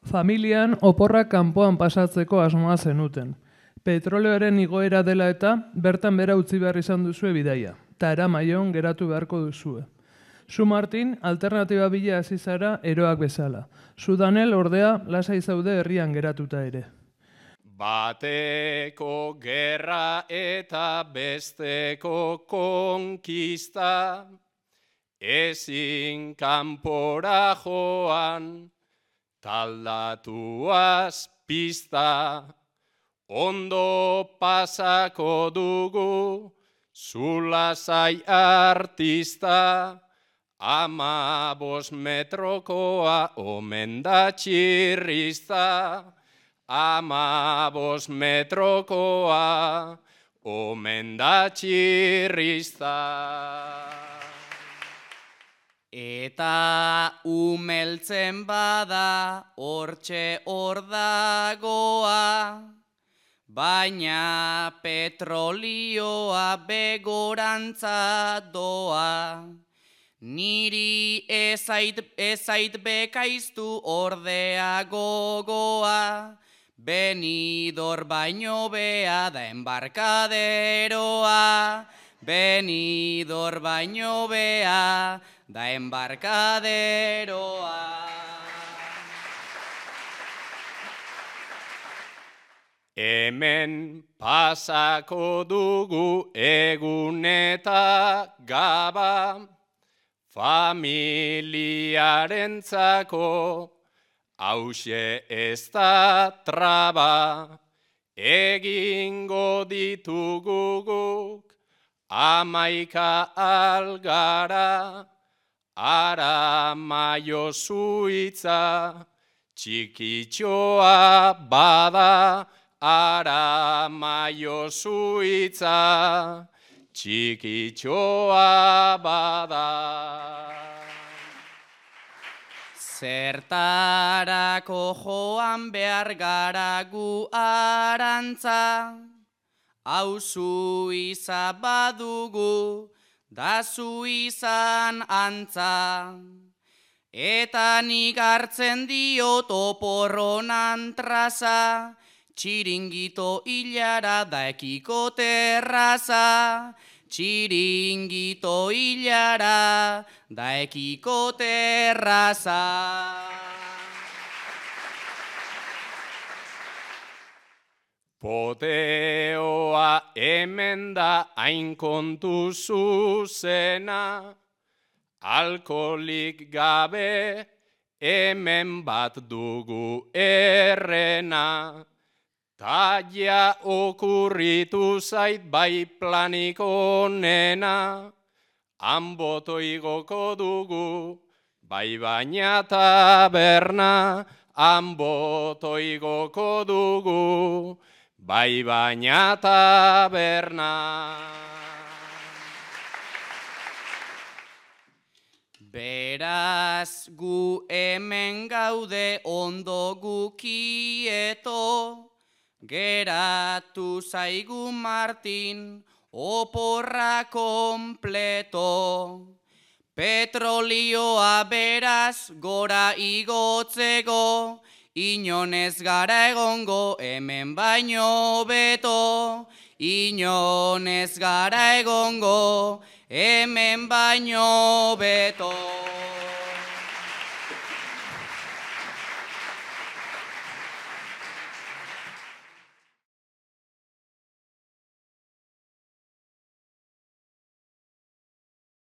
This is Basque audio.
Familian oporrak kanpoan pasatzeko asmoa zenuten. Petroleoaren igoera dela eta bertan bera utzi behar izan duzue bidaia. Ta Aramaion geratu beharko duzue. Zu Martin, alternatiba bila hasi zara eroak bezala. Zu Danel ordea lasai zaude herrian geratuta ere. Bateko gerra eta besteko konkista, ezin kanpora joan, taldatuaz pista, ondo pasako dugu, zulasai artista, 15 metrokoa omen da txirrista, 15 metrokoa omen da txirrista. Eta umeltzen bada hortxe hor dagoa, baina petrolioa begorantza doa. Niri ezait bekaiztu ordea gogoa, Benidor baino bea da embarkaderoa, Benidor baino bea da embarkaderoa. Hemen pasako dugu egun eta gaba, familiarentzako hauxe ez da traba, egingo ditugu guk 11 algara, Aramaio Zuitza, txikitxoa bada, Aramaio Zuitza, txikitxoa bada. Zertarako joan behar gara gu arantza, hau Suiza badugu, da Suizan antza. Eta nik hartzen diot oporronan traza, txiringito hilara da ekiko terraza, txiringito hilara da ekiko terraza. Poteoa hemen da hain kontu zuzena, alkoholik gabe hemen bat dugu errena. Taia okurritu zait bai planik onena, han boto igoko dugu, bai baina taberna, han boto igoko dugu, bai baina taberna. Beraz gu hemen gaude ondo gukieto, geratu zaigu Martin oporra kompleto. Petrolioa beraz gora igotzeko, inonez gara egongo hemen baino beto. Inonez gara egongo hemen baino beto.